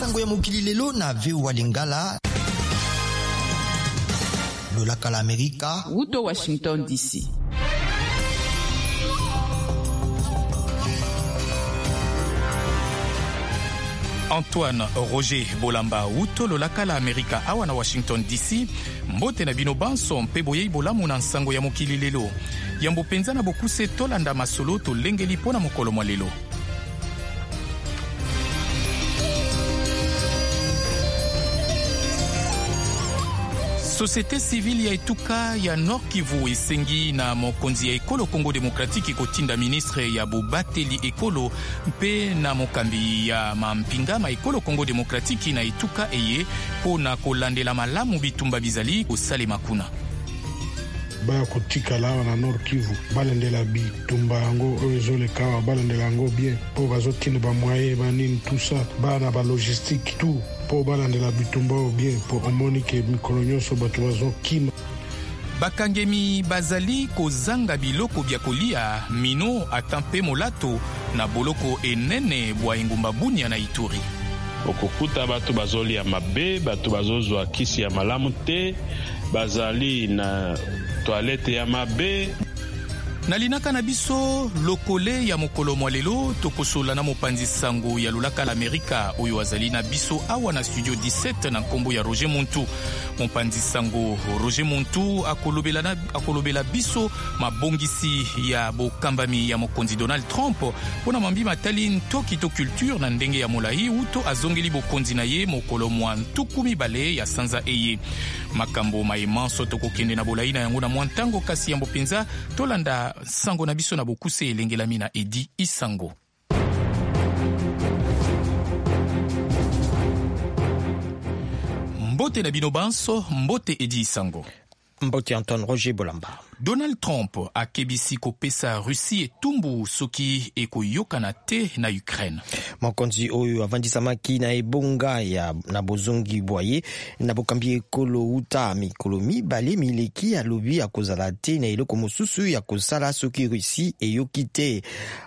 Sango ya mokili lelo na VOA Lingala. Lolaka la Amerika. Wuto Washington DC. Antoine Roger Bolamba wuto lolaka la Amerika awa na Washington DC. Mbote na bino banso mpe boyei bolamu na nsango ya mokili lelo. Yambo mpenza na bokuse tolanda masolo tolengeli mpo na mokolo mwa lelo. Société civile ya etuka ya Nord Kivu esengi na mokonzi ya ekolo Congo Demokratiki kotinda ministre ya bobateli ekolo mpe na mokambi ya mampinga ma ekolo Congo Demokratiki na etuka eye mpo na kolandela malamu bitumba bizali kosalema kuna. Baya kotikala awa na Nord Kivu, balandela bitumba yango oyo ezoleka awa, balandela yango bien mpo bazotinda bamoyen banini tout ça, bana ba logistique tout mpo balandela bitumba oyo bien, mpo omoni ke mikolo nyonso bato bazokima. Bakangemi bazali kozanga biloko bya kolia, mino ata mpe molato na boloko enene bwa engumba Bunia na Ituri. Okokuta bato bazolia mabe, bato bazozwa kisi ya malamu te, bazali na toilette ya mabe. Na linaka na biso lokole ya mokolo mwa lelo, tokosola na mopanzi sango ya lolaka la Amerika oyo azali na biso awa na studio 17 na nkombo ya Roger Muntu. Mopanzi sango Roger Muntu akolobela, akolobela biso mabongisi ya bokambami ya mokonzi Donald Trump mpo na mambi matali ntoki to culture na ndenge ya molai uto azongeli bokonzi na ye mokolo mwa 20 ya sanza eye. Makambo maye manso tokokende na bolai na yango na mwa ntango, kasi yambo mpenza tolanda sango na biso na bokuse elengelami na Edi Isango. Mbote na bino banso, mbote Edi Isango. Mbote Antoine Roger Bolamba. Donald Trump akebisi kopesa Russie etumbu soki ekoyokana te na Ukraine. Mokonzi oyo avandisamaki na ebonga ya na bozongi bwa ye na bokambi ekolo uta mikolo mibale mileki alobi akozala te na eloko mosusu ya kosala soki Russie eyoki te.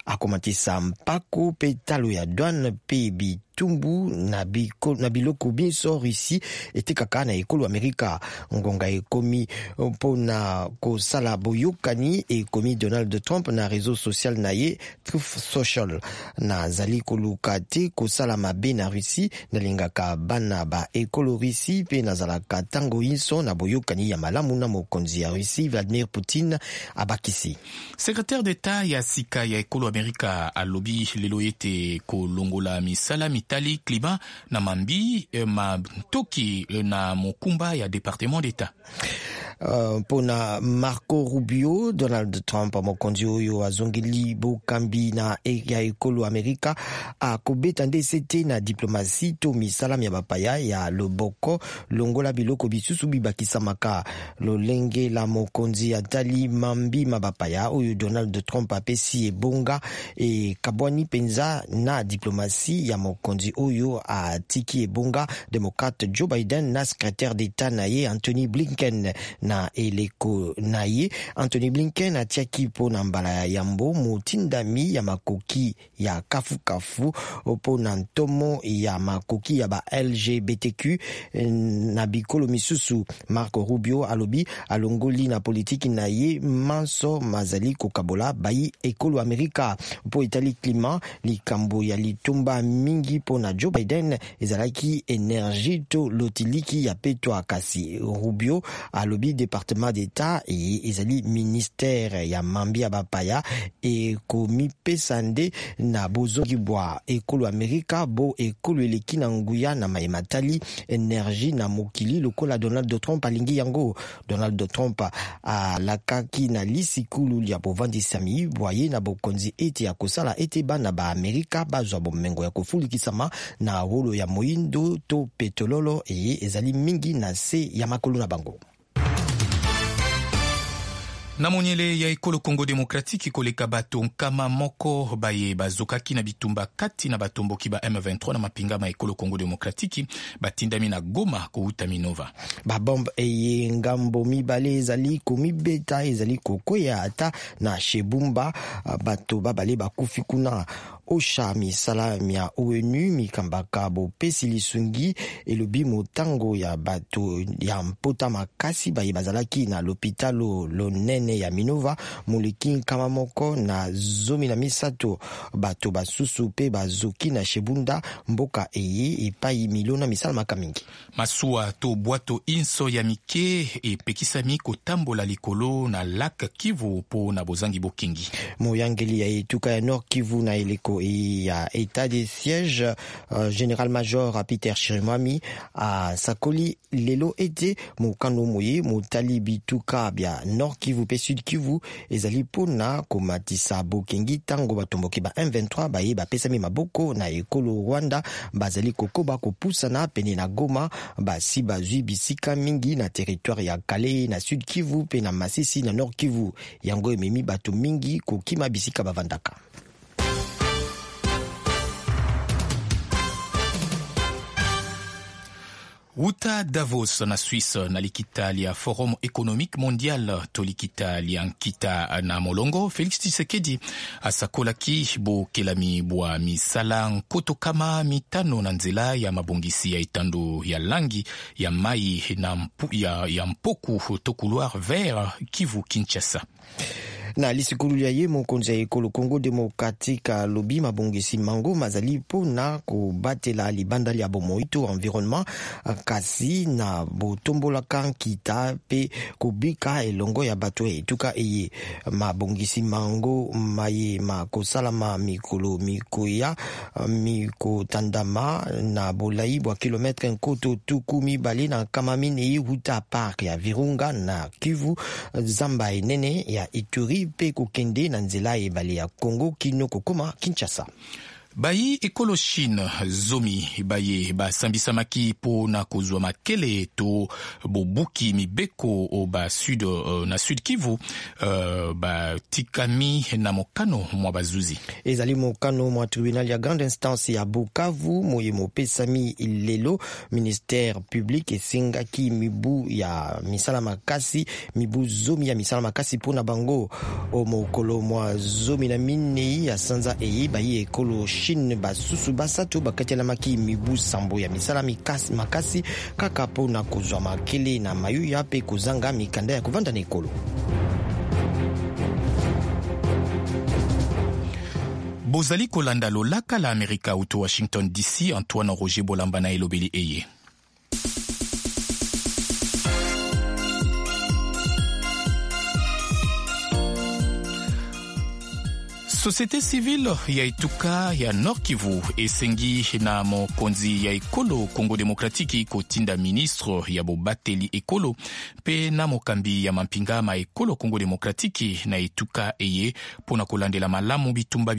Akomatisa mpako mpe talo ya douane mpe bitumbu na, biko, na biloko binso Russie etekaka na ekolo Amerika. Ngonga ekomi mpo na kosala boyokani, ekomi Donald Trump na réseau social na ye Truth Social. Nazali koluka te kosala mabe na Russie, nalingaka bana ba ekolo Russie mpe nazalaka ntango inso na boyokani ya malamu na mokonzi ya Russie Vladimir Poutine, abakisi. Secrétaire d'État ya sika ya ekolo Amerika alobi lelo ete kolongola misala mitali klima na mambi mantoki na mokumba ya département d'État. Mpona Marco Rubio, Donald Trump mokonzi oyo azongeli bokambi na ya ekolo Amerika akobeta nde sete na diplomatie to misala mya bapaya ya loboko longola biloko bisusu bibakisamaka. Lolenge la mokonzi atali mambi ma bapaya oyo Donald Trump apesi ebonga ekabwani mpenza na diplomatie ya mokonzi oyo atiki ebonga démocrate Joe Biden na secrétaire d'État na ye Anthony Blinken. Na eleko na ye Anthony Blinken atiaki mpo na mbala ya yambo motindami ya makoki ya kafukafu mpo na ntomo ya makoki ya ba LGBTQ na bikolo misusu. Marco Rubio alobi alongoli na politiki na ye manso mazali kokabola bayi ekolo Amerika. Mpo etali klima, likambo ya litomba mingi mpo na Joe Biden ezalaki energie to lotiliki ya petwa, kasi Rubio alobi département d'État eye ezali ministère ya mambi ya bapaya ekomipesa nde na bozongi bwa ekolo Amerika bo ekolo eleki na nguya na maye matali energie na mokili lokola Donald Trump alingi yango. Donald Trump alakaki na lisikulu ya bovandisami bwa ye na bokonzi ete akosala ete bana ba Amerika bazwa bomengo ya kofulikisama na wolo ya moindo to petololo eye ezali mingi na se ya makolo na bango. Na monyele ya ekolo Congo Demokratiki, koleka bato 100 baye bazokaki na bitumba kati na batomboki ba M23 na mapinga ma ekolo Congo Demokratiki batindami na Goma kouta Minova. Babombe eye ngambo mibale ezali komibeta ezali kokwea ata na Shebumba, bato babale bakufi kuna. OCHA, misala mya ONU mikambaka bopesi lisungi, elobi motango ya bato ya mpota makasi baye bazalaki na lopitalo lonene ya Minova moleki 113. Bato basusu mpe bazoki na Shebunda, mboka eye epai milona misalamaka mingi. Masuwa to bwato inso ya mike epekisami kotambola likolo na lac Kivu mpo na bozangi bokengi. Moyangeli ya etuka ya Nord Kivu na eleko ya état de siège, général major Peter Chirimwami, asakoli lelo ete mokano moye motali bituka bya Nord Kivu mpe Sud Kivu ezali mpona komatisa bokengi ntango batomboki ba M23 baye bapesami maboko na ekolo Rwanda bazali kokoba kopusana pene na Goma. Basi bazwi bisika mingi na territoire ya Kalehe na Sud Kivu mpe na Masisi na Nord Kivu. Yango ememi bato mingi kokima bisika bavandaka. Wuta Davos na Suisse, na likita lia Forum économique mondial to likita lia nkita na molongo, Félix Tshisekedi asakolaki bokelami bwa misala 5,000 na nzela ya mabongisi ya etando ya langi ya mai na ya mpoku to couloir vert Kivu Kinshasa. Na lisikulu ya ye, mokonzi ya ekolo Congo démocratique alobi mabongisi mango mazali mpona kobatela libanda lya bomoi to environnement, kasi na botombolaka nkita mpe kobika elongo ya bato ya etuka eye. Mabongisi mango maye makosalama mikolo mikoya, mikotandama na bolai bwa kilometre 240 wuta parc ya Virunga na Kivu, zamba enene ya Ituri, mpe kokende na nzela ebale ya Congo kino kokoma Kinshasa. Bayi ekolo Chine 10 baye basambisamaki mpo na kozwa makele to bobuki mibeko ba sud, na Sud Kivu, batikami na mokano mwa bazuzi. Ezali mokano mwa tribunal ya grande instance ya Bukavu moye mopesami lelo. Ministère public esengaki mibu ya misala makasi, mibu 10 ya misala makasi mpona bango. O mokolo mwa 14 ya sanza eye, bayi ekolo Chine basusu basato bakatelamaki mibu 7 ya misala makasi kaka mpona kozwa makele na mayuya mpe kozanga mikanda ya kovanda na ekolo. Bozali kolanda lolaka la Amerika uto Washington DC. Antoine Roger Bolamba na elobeli eye. Société civile ya etuka ya Nord Kivu esengi na mokonzi ya ekolo Congo démocratique kotinda ministre ya bobateli ekolo mpe na mokambi ya mampinga ma ekolo Congo démocratique na etuka eye mpona kolandela malamu bitumba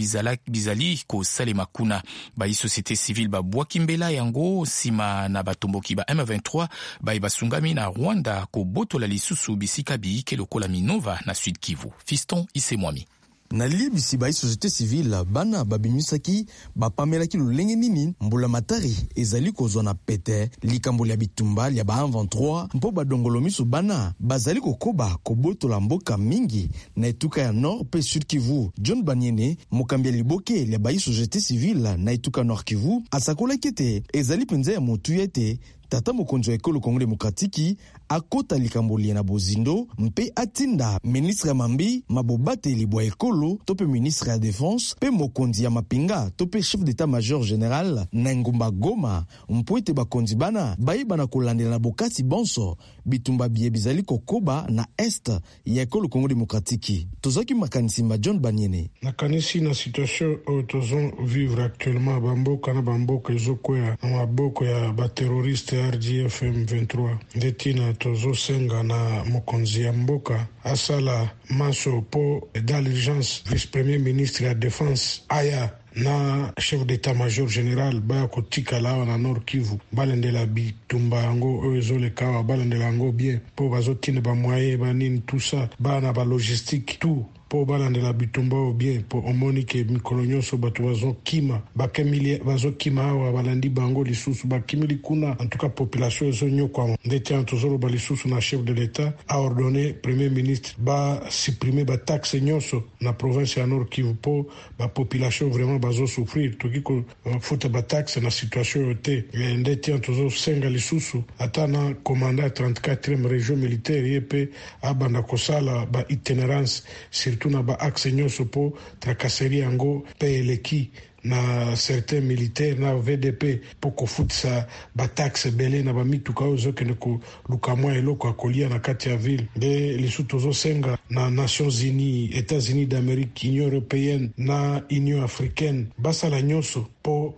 bizali kosalema kuna. Bayi société civile babwaki mbela yango nsima na batomboki ba M23 baye basungami na Rwanda kobotola lisusu bisika biyike lokola Minova na Sud Kivu. Fiston Isemwami. Na liyebisi bayi société civile bana babimisaki, bapamelaki lolenge nini mbula matari ezali kozwa na pete likambo lya bitumba lya ba M23, mpo badongolo miso bana bazali kokoba kobotola mboka mingi na etuka ya Nord mpe Sud Kivu. John Baniene, mokambi ya liboke lya bayi société civile na etuka Nord Kivu, asakolaki ete ezali mpenza ya motuya ete tata mokonzi wa ekolo Kongo demokratiki akota likambo lie na bozindo mpe atinda ministre ya mambi mabobateli bwa ekolo to mpe ministre ya défense mpe mokonzi ya mapinga to mpe chef d'état major général na engumba Goma, mpo ete bakonzi bana bayeba na kolandela na bokasi bonso bitumba biye bizali kokoba na est ya ekolo Kongo demokratiki. Tozwaki makanisi ma John Baniene. Nakanisi na situation oyo tozovivre actuellement, bamboka na bamboka ezokwea na maboko ya baterroriste RDF M23. Nde ntina tozosenga na mokonzi ya mboka asala manso mpo dans l'urgence vice premier ministre ya défense aya na chef d'état major général baya kotikala awa na Nord Kivu, balandela bitumba yango oyo ezoleka awa, balandela yango bien mpo bazotinda bamoyen, banini, tout ça, bana balogistique, tout. mpo balandela bitumba oyo bien, mpo omoni ke mikolo nyonso bato bazokima, bazokima awa, balandi bango lisusu, bakimeli kuna. En tout cas population ezonyokwama. Ndeti wana tozoloba lisusu na chef de l'État aordonner premier ministre basupprimer bataxe nyonso na province ya Nord Kivu, mpo bapopulation vraiment bazosouffrir. Toki kofuta bataxe na situation oyo te. Ndeti wana tozosenga lisusu ata na commandant 34e région militaire, ye mpe abanda kosala baitinérance, surtout na baaxe nyonso, mpo tracasserie yango mpe eleki na certains militaires na VDP, mpo kofutisa bataxe ebele na bamituka oyo ezokende koluka mwa eloko ya kolia na kati ya ville. Nde lisusu tozosenga na Nations Unies, États-Unis d'Amérique, Union européenne na Union africaine basala nyonso mpo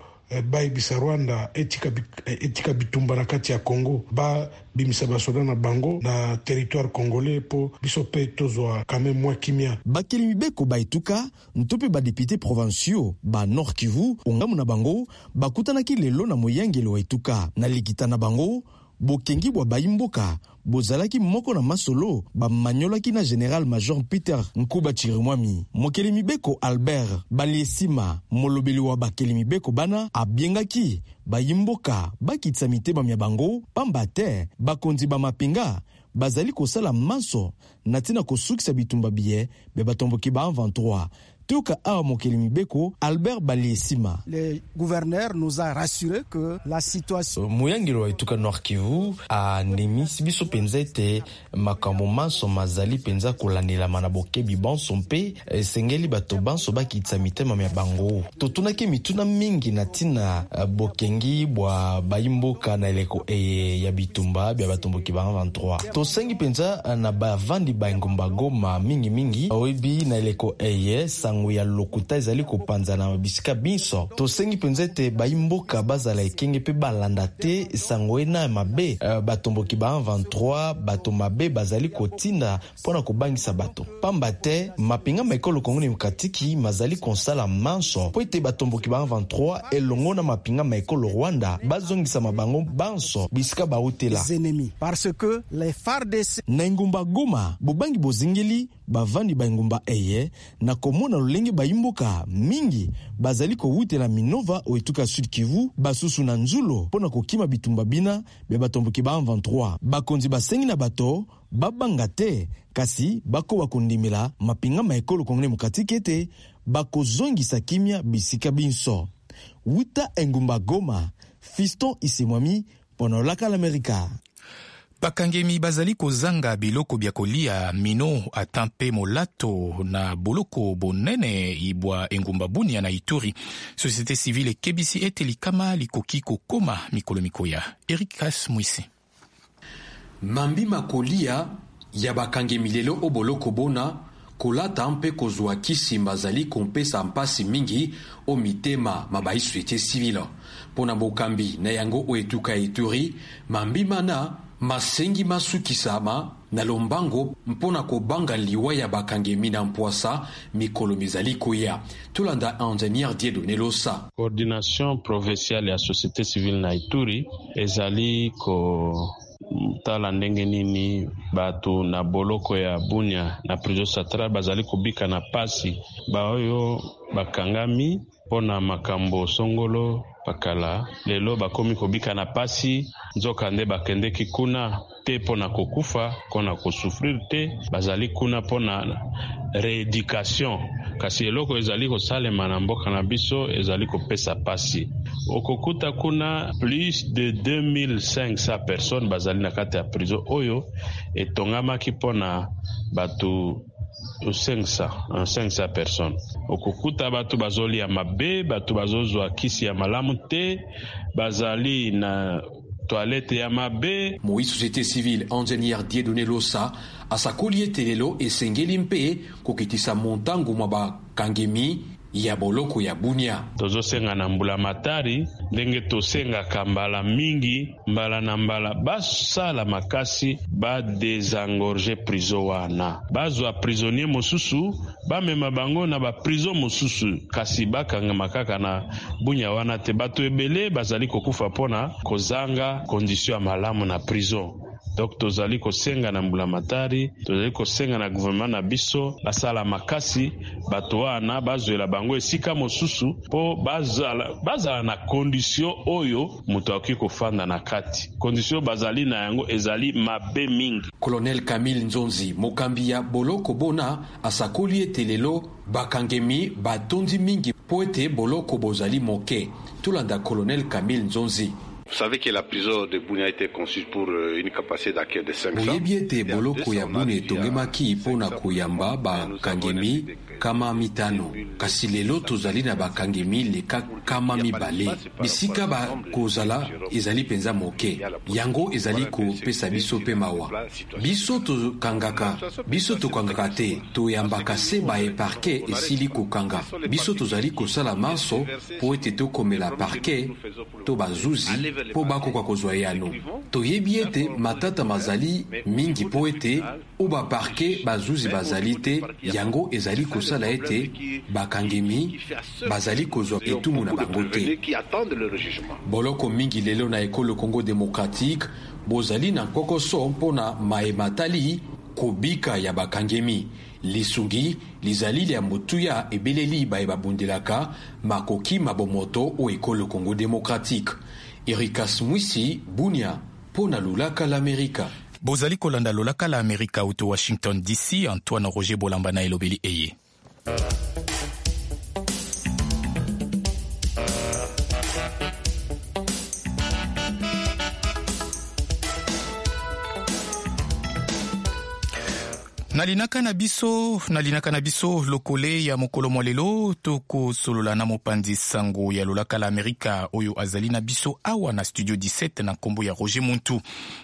bayebisa Rwanda etika bitumba na kati ya Congo, babimisa basoda na bango na territoire congolais, mpo biso mpe tozwa quand même mwa kimia. Bakeli mibeko baetuka nto mpe badéputés provinciaux ba Nord Kivu, ongambo na bango, bakutanaki lelo na moyangeli wa etuka. Na likita na bango, bokengi bwa bayimboka bozalaki moko na masolo bamanyolaki na général major Peter Nkuba Chirimwami. Mokeli mibeko Albert Baliesima, molobeli wa bakeli mibeko bana, abiengaki bayimboka bakitisa mitema mya bango, pamba te bakonzi ba mapinga bazali kosala manso na ntina kosukisa bitumba biye bya batomboki ba M23. Toyoka awa mokeli mibeko Albert Baliesima. Le gouverneur nous a rassuré que la situation Moyangeli wa etuka Nord Kivu andimisi biso mpenza ete makambo manso mazali mpenza kolandelama na bokebi banso, mpe esengeli bato banso bakitisa mitema mya bango. Totunaki mituna mingi na ntina bokengi bwa bayimboka na eleko eye ya bitumba bya batomboki ba 23. Tosengi mpenza na bavandi ba engumba Goma mingimingi, oyebi na eleko eye sango ya lokuta ezali kopanzana na bisika binso. Tosengi mpenza ete bayimboka bazala ekenge mpe balanda te sango ena ya mabe batomboki ba 23, bato mabe bazali kotinda mpo na kobangisa bato, pamba te mapinga ma ekolo Kongo Demokratiki mazali kosala manso mpo ete batomboki ba 23 elongo na mapinga ma ekolo Rwanda bazongisama bango banso bisika bautela. Ennemis, parce que les FARDC Na engumba Goma, bobangi bozingeli bavandi ba engumba eye na komona lolenge bayimboka mingi bazali kowutela Minova o etuka Sud Kivu, basusu na Nzulo, mpo na kokima bitumba bina bya batomboki ba 23. Bakonzi basengi na bato babanga te, kasi bakoba kondimela mapinga ma ekolo Kongo Demokratike ete bakozongisa kimia bisika binso. Wuta engumba Goma, Fiston Isemwami mpo na Lolaka l'Amerika. Bakangemi bazali kozanga biloko bya kolia, mino ata mpe molato na boloko bonene ibwa engumba Bunia na Ituri. Société civile ekebisi ete likama likoki kokoma mikolo mikoya. Eric Kas Mwisi. Mambi makolia ya bakangemi lelo o boloko bona, kolata mpe kozwa kisi bazali kopesa mpasi mingi o mitema ma bai société civile. Mpo na bokambi na yango o etuka Ituri, mambi mana masengi masukisama na lombango mpo na kobanga liwa ya bakangemi na mpwasa mikolo mizali koya. Tolanda ingénieur Dieudonné Losa. Coordination provinciale ya société civile na Ituri ezali kotala ndenge nini bato na boloko ya Bunia, na prison centrale, bazali kobika na pasi. Baoyo bakangami mpo na makambo songolo pakala, lelo bakomi kobika na pasi, nzoka nde bakendeki kuna te mpo na kokufa, mpo na kosouffrir te. Bazali kuna mpo na rééducation, kasi eloko ezali kosalema na mboka na biso ezali kopesa pasi. Okokuta kuna plus de 2500 personnes bazali na kati ya prison oyo etongamaki mpo na bato 500, 500 personnes. Okokuta bato bazolia mabe, bato bazozwa kisi ya malamu te, bazali na toilette ya mabe. Moi société civile ingénieur Dieudonné Losa asakoli ete lelo esengeli mpe kokitisa montango mwa bakangemi ya boloko ya Bunia. Tozosenga na mbula matari, ndenge tosengaka mbala mingi, mbala na mbala, basala makasi badésengorger prison wana, bazwa prisonnier mosusu, bamema bango na baprison mosusu, kasi bakangama kaka na Bunia wana te. Bato ebele bazali kokufa mpona kozanga condition ya malamu na prison. Donc tozali kosenga na mbulamatari, tozali kosenga na gouvernement na biso basala makasi, bato wana bazwela bango esika mosusu mpo bazala na condition oyo moto akoki kofanda na kati. Condition bazali na yango ezali mabe mingi. Colonel Camille Nzonzi, mokambi ya boloko bona, asakoli ete lelo bakangemi batondi mingi mpo ete boloko bozali moke. Tolanda Colonel Camille Nzonzi. Vous savez que la prison de Bunia a été conçue pour une capacité d'accueil de 500. Boyebi ete boloko ya Bunia etongemaki mpo na koyamba bakangemi 500, kasi lelo tozali na bakangemi leka 200. Bisika bakozala ezali mpenza moke, yango ezali kopesa biso mpe mawa. Biso tokangaka te, toyambaka se baye parquet esili kokanga. Biso tozali kosala manso mpo ete tokomela parquet to bazuzi mpo bakoka kozwa yano. Toyebi ete matata mazali mingi mpo ete o ba parquet bazuzi bazali te, yango ezali kosala ete bakangemi bazali kozwa etumu na bango te. Boloko mingi lelo na ekolo Congo démocratique bozali na nkokoso mpona maye matali kobika ya bakangemi. Lisungi lizali lya motuya ebeleli baye babundelaka makoki mabomoto o ekolo Congo démocratique. Erikas Mwisi, Bunia, mpo na Lolaka l'Amerika. Bozali kolanda Lolaka la Amerika uto Washington DC. Antoine Roger Bolamba na elobeli eye. Nalinaka na biso lokole ya mokolo mwa lelo, tokosolola na mopanzi sango ya Lolaka la Amerika oyo azali na biso awa na studio 17 na nkombo ya Roger Muntu.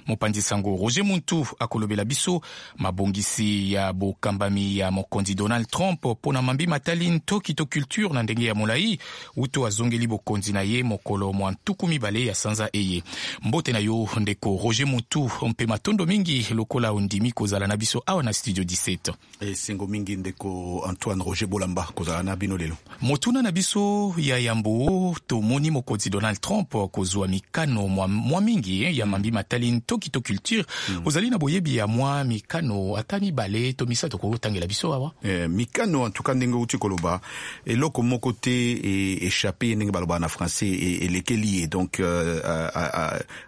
Mopanzi sango Roger Muntu akolobela biso mabongisi ya bokambami ya mokonzi Donald Trump mpo na mambi matali ntoki to culture na ndenge ya molai uto azongeli bokonzi na ye mokolo mwa 20 ya sanza eye. Mbote na yo, ndeko Roger Muntu, mpe matondo mingi lokola ondimi kozala na biso awa na studio 17. Esengo mingi, ndeko Antoine Roger Bolamba, kozala na bino lelo. Motuna na biso ya yambo: tomoni mokonzi Donald Trump kozwa mikano mwa mingi ya mambi matali ntoki to culture. Ozali na boyebi ya mwa mikano ata mibale to misato kotangela biso awa? Mikano, en tout cas, ndenge outi koloba, eloko moko te échappé ye, ndenge balobaka na français, elekeli ye. Donc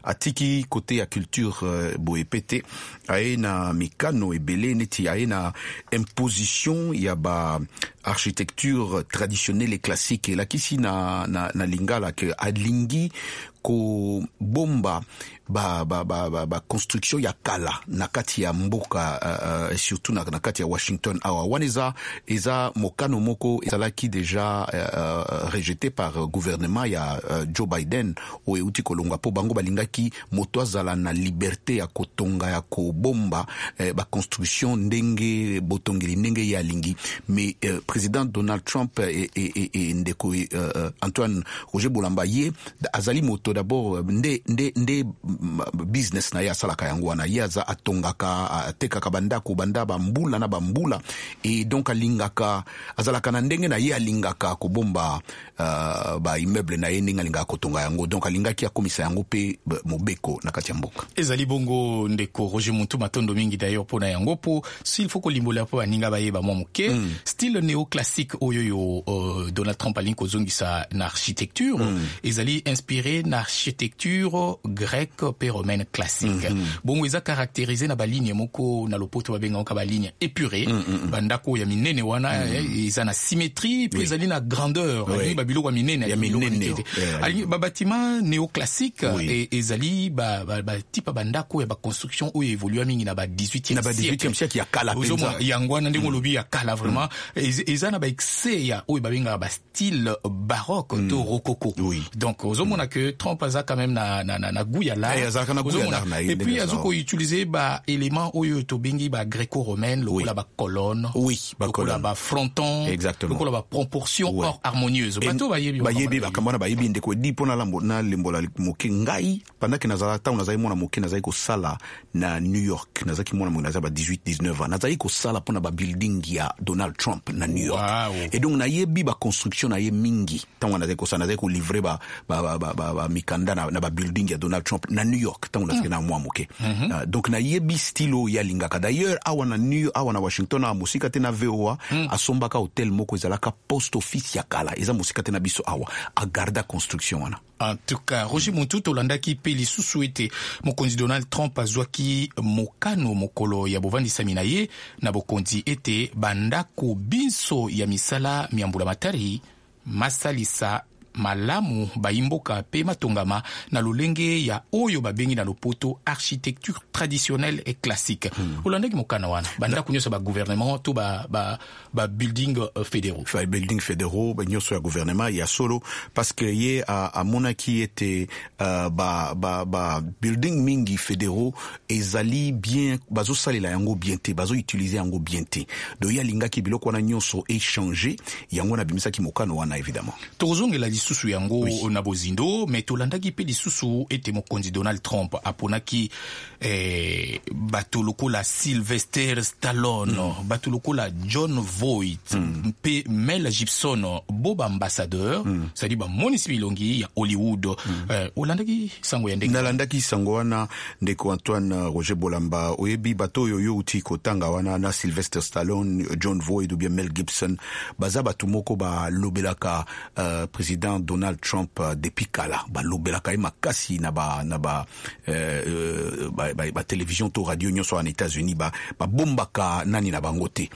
atiki côté ya culture boye pe te. Aye na mikano ebele, neti aye na imposition ya ba architecture traditionnelle et classique. Elakisi na lingala ke alingi kobomba ba construction ya kala na kati ya mboka, surtout na kati ya Washington awa. Wana eza mokano moko ezalaki déjà rejeté par gouvernement ya Joe Biden oyo euti kolongwa, mpo bango balingaki moto azala na liberté ya kotonga, ya kobomba ba construction ndenge botongeli ndenge ye alingi. Mais président Donald Trump e ndeko Antoine Roger Bolamba, ye azali moto d'abord nde business na ye asalaka yango wana. Ye aza atongaka, atekaka bandako banda bambula na bambula, et donc alingaka, azalaka na ndenge na ye alingaka kobomba ba immeuble na ye, ndenge alingaka kotonga yango. Donc alingaki akomisa yango mpe mobeko na kati ya mboka. Ezali bongo, ndeko Roger Muntu, matondo mingi d'ailleurs mpona yango, mpo s'il faut kolimbola mpo baninga bayeba mwa moke style néoclassique oyo yo Donald Trump alingi kozongisa na architecture ezali inspiré na architecture grecque mpe romaine classique. Bongo eza caractérisé na ba ligne moko, na lopoto babengaka ba ligne épurée. Bandako ya minene wana eza na symétrie mpe ezali na grandeur. Alingi babiloko ya minene. Ya minene. Alingi ba bâtiment néoclassique. Ezali ba type ya bandako ya ba construction oyo évolua mingi na ba 18e Na ba 18e siècle ya kala mpenza. Yango wana, ndenge olobi, ya kala vraiment. Eza na ba excès ya oyo babengaka ba style baroque to rococo. Donc ozomona que Trump aza quand même na goût ya l'art. Azalaka na goût ya l'art na ye. Et puis aza koutiliser ba élément oyo tobengi ba gréco-romaine, lokola ba colonne, lokola ba fronton, lokola ba proportion or harmonieuse. Bato bayebi. Bayebi makambo wana, bayebi, ndeko Edi. Mpo nalembola moke, ngai pendant ke nazala, ntango nazali mwana moke, nazali kosala na New York. Nazalaki mwana moke, nazali ba 18 19 ans, nazali kosala mpona ba building ya Donald Trump na New York. Et donc nayebi ba construction na ye mingi. Ntango nazali kosala, nazali kolivrer ba mikanda na ba building ya Donald Trump. na New York ntango nazalaki na mwa moke. Donc nayebi style oyo ye alingaka. D'ailleurs, awa na New awa na Washington, awa mosika te na VOA, asombaka hotel moko ezalaka post office ya kala, eza mosika te na biso awa, agarda construction wana. En tout cas, Roger Muntu, tolandaki mpe lisusu ete mokonzi Donald Trump azwaki mokano mokolo ya bovandisami na ye na bokonzi ete bandako binso ya misala mya mbulamatari masalisa malamu bayimboka mpe matongama na lolenge ya oyo babengi na lopoto architecture traditionnelle et classique. Olandaki mokano wana, bandako nyonso ya bagouvernement to ba building fédéraux? Ba building fédéraux nyonso ya gouvernement, ya solo, parce que ye amonaki ete ba building mingi fédéraux ezali bien, bazosalela yango bien te, bazoutilize yango bien te. Donc ye alingaki biloko wana nyonso échange. Yango wana abimisaki mokano wana, évidemment. Tokozongela lisusu yango na bozindo, me tolandaki mpe lisusu ete mokonzi Donald Trump aponaki bato lokola Sylvester Stallone, bato lokola John Voight mpe Mel Gibson bo baambassadeur, c'est-à-dire bamonisi bilongi ya Hollywood. Olandaki sango ya ndenge? Nalandaki sango wana, ndeko Antoine Roger Bolamba. Oyebi, bato oyo yo uti kotanga wana, na Sylvester Stallone, John Voight ou bien Mel Gibson, baza bato moko balobelaka président Donald Trump depuis kala. Balobelaka ye makasi na ba télévision to radio nyonso wana États-Unis. Babombaka nani na bango te,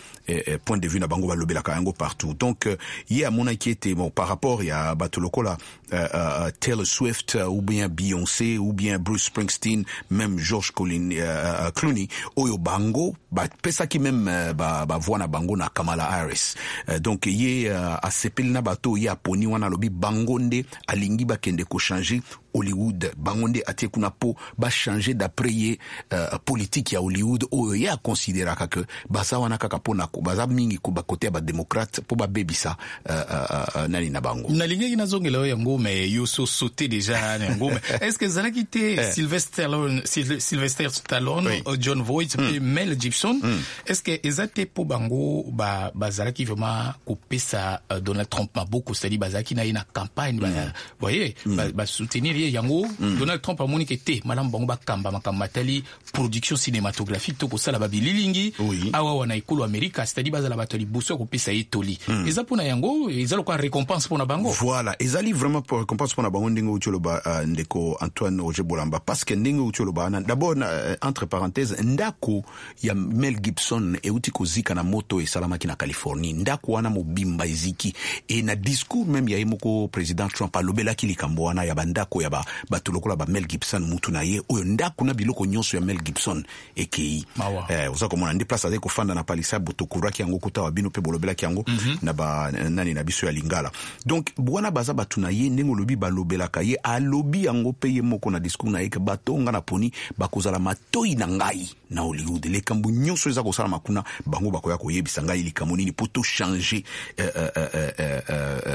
point de vue na bango, balobelaka yango partout. Donc ye amonaki ete, bon, par rapport ya bato lokola Taylor Swift ou bien Beyoncé ou bien Bruce Springsteen, même George Clooney, oyo bango bapesaki même bavoix na bango na Kamala Harris. Donc ye asepeli na bato ye aponi wana. Alobi bango nde alingi bakende kochanger Hollywood, bango nde atie kuna mpo bachanger, d'après ye, politique ya Hollywood oyo ye akonsideraka ke baza wana kaka mpona baza mingi bakote ya badémocrate mpo babebisa nani na bango. Nalingaki nazongela oyo yango, mais yo so sauté déjà na yango. Mais est ce que ezalaki te Sylvester Stallone, John Voight mpe Mel Gibson, est ce que eza te mpo bango bazalaki vraiment kopesa Donald Trump maboko, c'est-à-dire bazalaki na ye na campagne, voyez, basoutenir ye? Yango Donald Trump amoni ke te, malamu bango bakamba makambo matali production cinématographique to kosala babililingi awa wana ekolo Amerika, c'est-à-dire bazala bato ya liboso ya kopesa ye toli. Eza mpona yango, eza lokola récompense mpona bango. Voilà, ezali vraiment pour récompense mpona bango, ndenge outi oloba, ndeko Antoine Roger Bolamba, parce que ndenge outi oloba wana, d'abord, entre parenthèse, ndako ya Mel Gibson euti kozika na moto esalamaki na Californie. Ndako wana mobimba eziki. E na discours même ya ye moko président Trump, alobelaki likambo wana ya bandako ya bato lokola ba Mel Gibson, mutu na ye oyo ndako na biloko nyonso ya Mel Gibson ekei. Oza komona nde place azali kofanda na Palisade, tokuraki yango kuta wa bino mpe bolobelaki yango na ba nani na biso ya Lingala. Donc wana baza bato na ye, ndenge olobi, balobelaka ye. Alobi yango mpe ye moko na discours na ye ke bato nga na poni bakozala matoi na ngai na Hollywood. Likambo nyonso eza kosalama kuna, bango bakoya koyebisa ngai likambo nini mpo tochange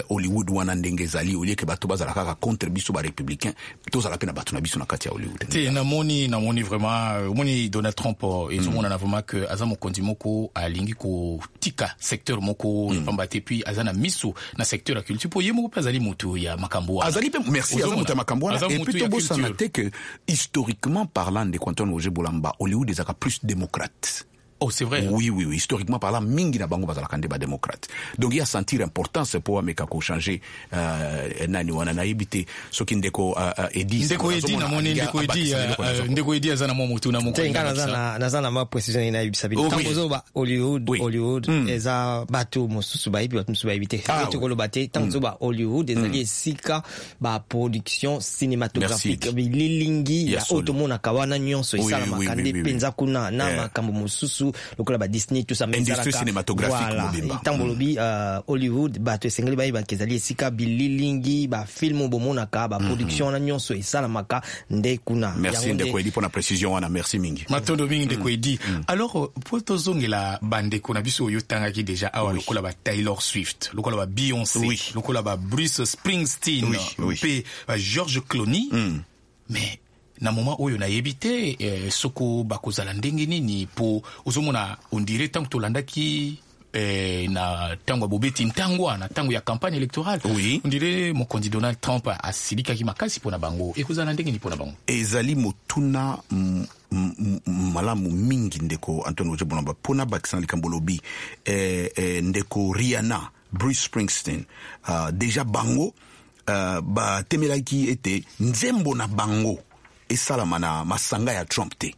Hollywood wana ndenge ezali, au lieu ke bato bazala kaka contre biso barépublicain, tozala mpe na bato na biso na kati ya Hollywood. Te, namoni vraiment, omoni Donald Trump, ezomonana vraiment ke aza mokonzi moko alingi kotika secteur moko pamba te, puis aza na miso na secteur ya culture, mpo ye moko mpe azali motu ya makambo wana. Azali mpe, merci, aza moto ya makambo wana. Et puis tobosana te ke historiquement parlant, ndeko Antoine Roger Bolamba, Hollywood ezalaka plus démocrate. Oh, c'est vrai. Oui. Historiquement parlant, mingi na bango bazalaka nde badémocrate. Donc ye asentir importance mpo ameka kochanger nani wana. Nayebi te soki ndeko Edi. Ndeko Edi, namoni ndeko Edi, ndeko Edi aza na mwa motu na moko. Te, nga naza na mwa précision nayebisa bino. Ntango ozoba Hollywood, Hollywood eza bato mosusu bayebi, bato mosusu bayebi te. Tokoloba te, ntango ozoba Hollywood, ezali esika baproduction cinématographique, bililingi ya oyo tomonaka wana nyonso esalamaka nde mpenza kuna, na makambo mosusu lokola ba Disney, tout ça. Industrie cinématographique mobimba. Ntango bolobi Hollywood, bato esengeli bayebaka ezali esika bililingi, bafilm bomonaka, baproduction wana nyonso esalamaka nde kuna. Merci, ndeko Edi, mpona précision wana, merci mingi. Matondo mingi, ndeko Edi. Alors, mpo tozongela bandeko na biso oyo otangaki déjà awa, lokola ba Taylor Swift, lokola ba Beyoncé, lokola ba Bruce Springsteen mpe ba George Clooney, mais na moment oyo nayebi te soko bakozala ndenge nini, mpo ozomona, on dirait ntango tolandaki na ntango ya bobeti ntangwa, na ntango ya campagne électorale. Oui. On dirait mokonzi Donald Trump asilikaki makasi mpona bango. Ekozala ndenge nini mpona bango? Ezali motuna malamu mingi, ndeko Antoine Roger Bolamba, mpona bakisa na likambo lobi ndeko Rihanna, Bruce Springsteen, déjà bango batemelaki ete nzembo na bango esalama na masanga ya Trump te.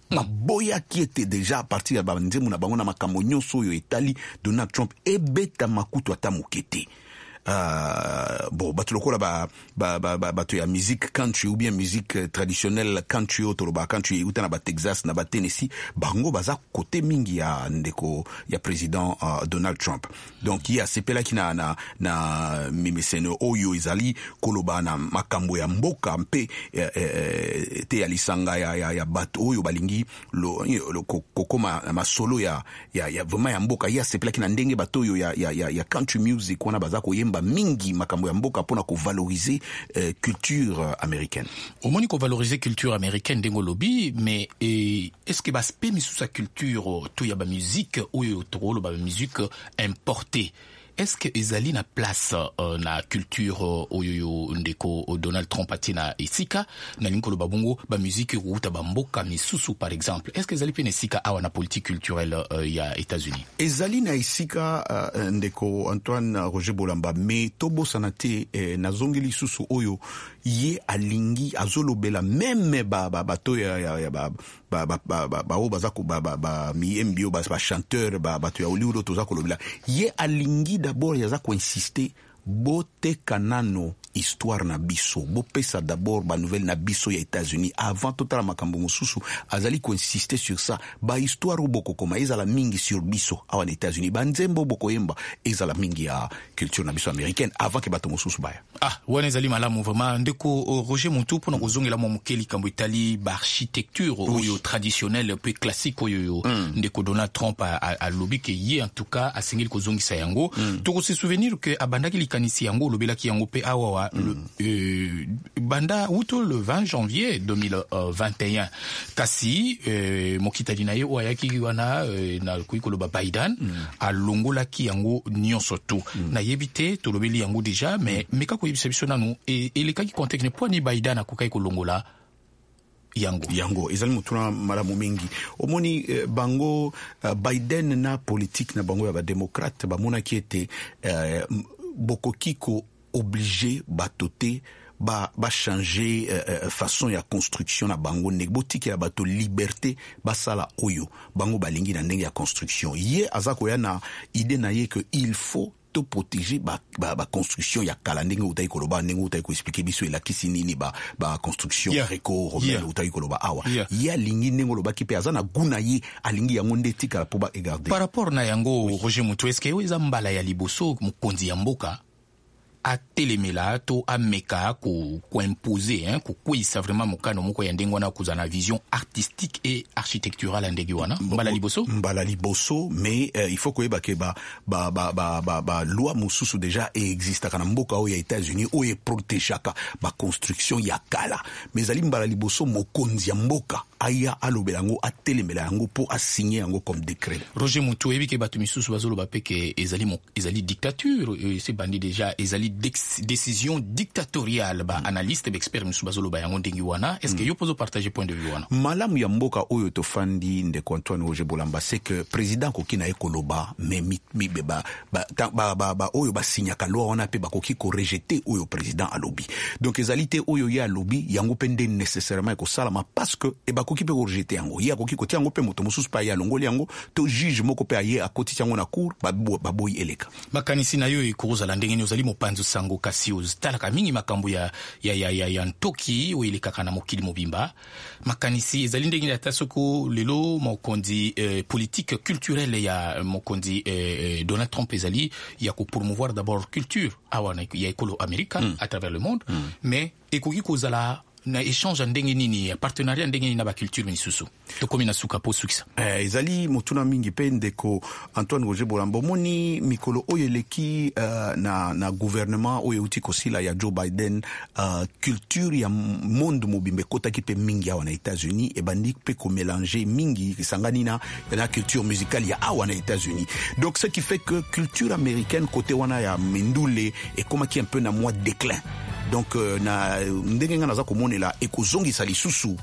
Baboyaki ete déjà à partir ya banzembo na bango na makambo nyonso oyo etali Donald Trump ebetama kutu ata moke te. Bon, bato lokola bato ya musique country ou bien musique traditionnelle country, oyo tolobaka country euta na baTexas, na baTennessee, bango baza kote mingi ya ndeko ya président Donald Trump. Donc ye asepelaki na mimeseno oyo ezali koloba na makambo ya mboka mpe te ya lisanga ya bato oyo balingi kokoma na masolo ya vraiment ya mboka. Ye asepelaki na ndenge bato oyo ya country music wana baza koyemba mingi makambo ya mboka mpona kovaloriser culture américaine. Omoni, kovaloriser culture américaine ndenge olobi, mais est ce que baaspect misusu ya culture to ya bamusique oyo tokoloba bamusique importée, est ce que ezali na place na culture oyo yo ndeko Donald Trump atie na esika? Nalingi koloba bongo bamusique ekouta bamboka misusu par exemple, est ce que ezali mpe na esika awa na politique culturelle ya États-Unis? Ezali na esika, ndeko Antoine Roger Bolamba, mais tobosana te, nazongi lisusu oyo ye alingi azolobela même bato ya baoyo baza bamiyembi, oyo bachanteur, bato ya Hollywood oyo toza kolobela. Ye alingi d'abord, aza koinsiste: boteka nano histoire na biso, bopesa d'abord banouvelle na biso ya États-Unis avant totala makambo mosusu. Azali koinsiste sur ça: bahistoire oyo bokokoma ezala mingi sur biso awa na États-Unis, banzembo oyo bokoyemba ezala mingi ya culture na biso américaine avant ke bato mosusu baya. Ah, wana ezali malamu vraiment, ndeko Roger Muntu. Mpona kozongela mwa moke likambo etali baarchitecture oyo traditionnelle mpe classique oyo ndeko Donald Trump alobi ke ye en tout cas asengeli kozongisa yango, tokose souvenir ke abandaki likanisi yango, olobelaki yango mpe awawa, banda wuto le 20 janvier 2021. Kasi mokitani na ye oyo ayaki wana, nakoki koloba Biden, alongolaki yango nyonso tu. Nayebi te, tolobeli yango déjà, mais meka koyebisa biso nanu elekaki contexte mpo ani Biden akokaki kolongola yango. Yango ezali motuna malamu mingi. Omoni, bango Biden na politique na bango ya badémocrate bamonaki ete bokoki ko-oblige bato te bachanger façon ya construction na bango. Ndenge botikela bato liberté basala oyo bango balingi na ndenge ya construction. Ye aza koya na idée na ye que il faut to protéger ba construction ya kala, ndenge outaki koloba, ndenge outaki koexpliquer biso elakisi nini ba construction gréco-romaine outaki koloba awa. Ye alingi, ndenge olobaki mpe, aza na gu na ye, alingi yango nde etikala mpo baegarde. Par rapport na yango, oui. Roger Mutu, est-ce oyo eza mbala ya liboso mokonzi ya mboka atelemela to ameka koimpose, hein, kokweyisa vraiment mokano moko ya ndenge wana, kozala na vision artistique et architecturale ya ndenge wana, mbala liboso? Mbala liboso, mais il faut koyeba ke ba loi mosusu déjà eexistaka na mboka oyo ya États-Unis oyo eprotégeaka baconstruction ya kala. Mais ezali mbala liboso mokonzi ya mboka aya alobela yango, atelemela yango mpo asigne yango comme décret. Roger Mutu, oyebi ke bato misusu bazoloba mpe ke ezali dictature, esi ebandi déjà, ezali décision dictatoriale. Baanalyste, baexpert misusu bazoloba yango ndenge wana. Est ce que yo mpo ozopartage point de vue wana? Malamu ya mboka oyo tofandi, ndeko Antoine Roger Bolamba, c'est que président akoki na ye koloba, mais oyo basignaka loi wana mpe bakoki korejeter oyo président alobi. Donc ezali te oyo ye alobi yango mpe nde nécessairement ekosalama, parce que e bakoki mpe korejeter yango. Ye akoki kotia yango mpe moto mosusu mpe aye alongoli yango, to juge moko mpe aye akotisi yango na cour, baboyi eleka. Makanisi na yo ekozala ndenge nini? Ozali mopanzi sango, kasi otalaka mingi makambo ya ntoki oyo elekaka na mokili mobimba. Makanisi ezali ndenge nini, ata soko lelo mokonzi, politique culturelle ya mokonzi Donald Trump ezali ya kopromouvoir d'abord culture awa ya ekolo Amerika à travers le monde, mais ekoki kozala Na échange ya ndenge nini, ya partenariat ya ndenge nini na baculture misusu? Tokomi na suka po sukisa. Ezali motuna mingi mpe, ndeko Antoine Roger Bolamba. Omoni, mikolo oyo eleki, na gouvernement oyo euti kosila ya Joe Biden, culture ya monde mobimba ekotaki mpe mingi awa na États-Unis, ebandi mpe komélanger mingi, esangani na culture musicale ya awa na États-Unis. Donc ce qui fait que culture américaine, côté wana ya mindule, ekomaki un peu na mwa déclin. Donc na ndenge nga naza komonela, ekozongisa lisusu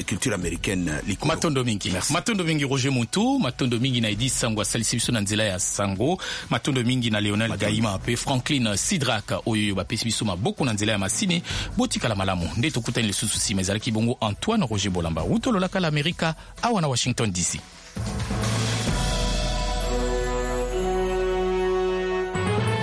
culture américaine likolo. Matondo mingi. Merci. Matondo mingi, Roger Muntu. Matondo mingi na Edi Sango, asalisi biso na nzela ya sango. Matondo mingi na Leonel Gaima mpe Franklin Sidrak oyo bapesi biso maboko na nzela ya masini. Botikala malamu nde tokutani lisusu nsima. Ezalaki bongo Antoine Roger Bolamba, wuta lolaka la Amerika, awa na Washington DC.